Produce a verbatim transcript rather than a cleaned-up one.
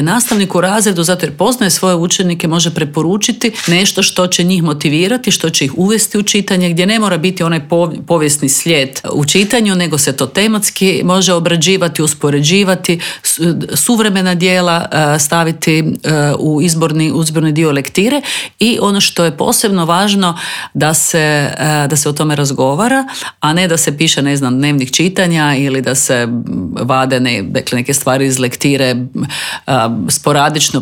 Nastavnik u razredu, zato jer poznaje svoje učenike, može preporučiti nešto što će njih motivirati, što će ih uvesti u čitanje, gdje ne mora biti onaj povijesni slijed u čitanju, nego se to tematski može obrađivati, uspoređivati, suvremena djela staviti u izborni, izborni dio lektire. I ono što je posebno važno, da se, da se o tome razgovara, a ne da se piše, ne znam, dnevnik čitanja ili da se vade ne, dakle, neke stvari iz lektire sporadično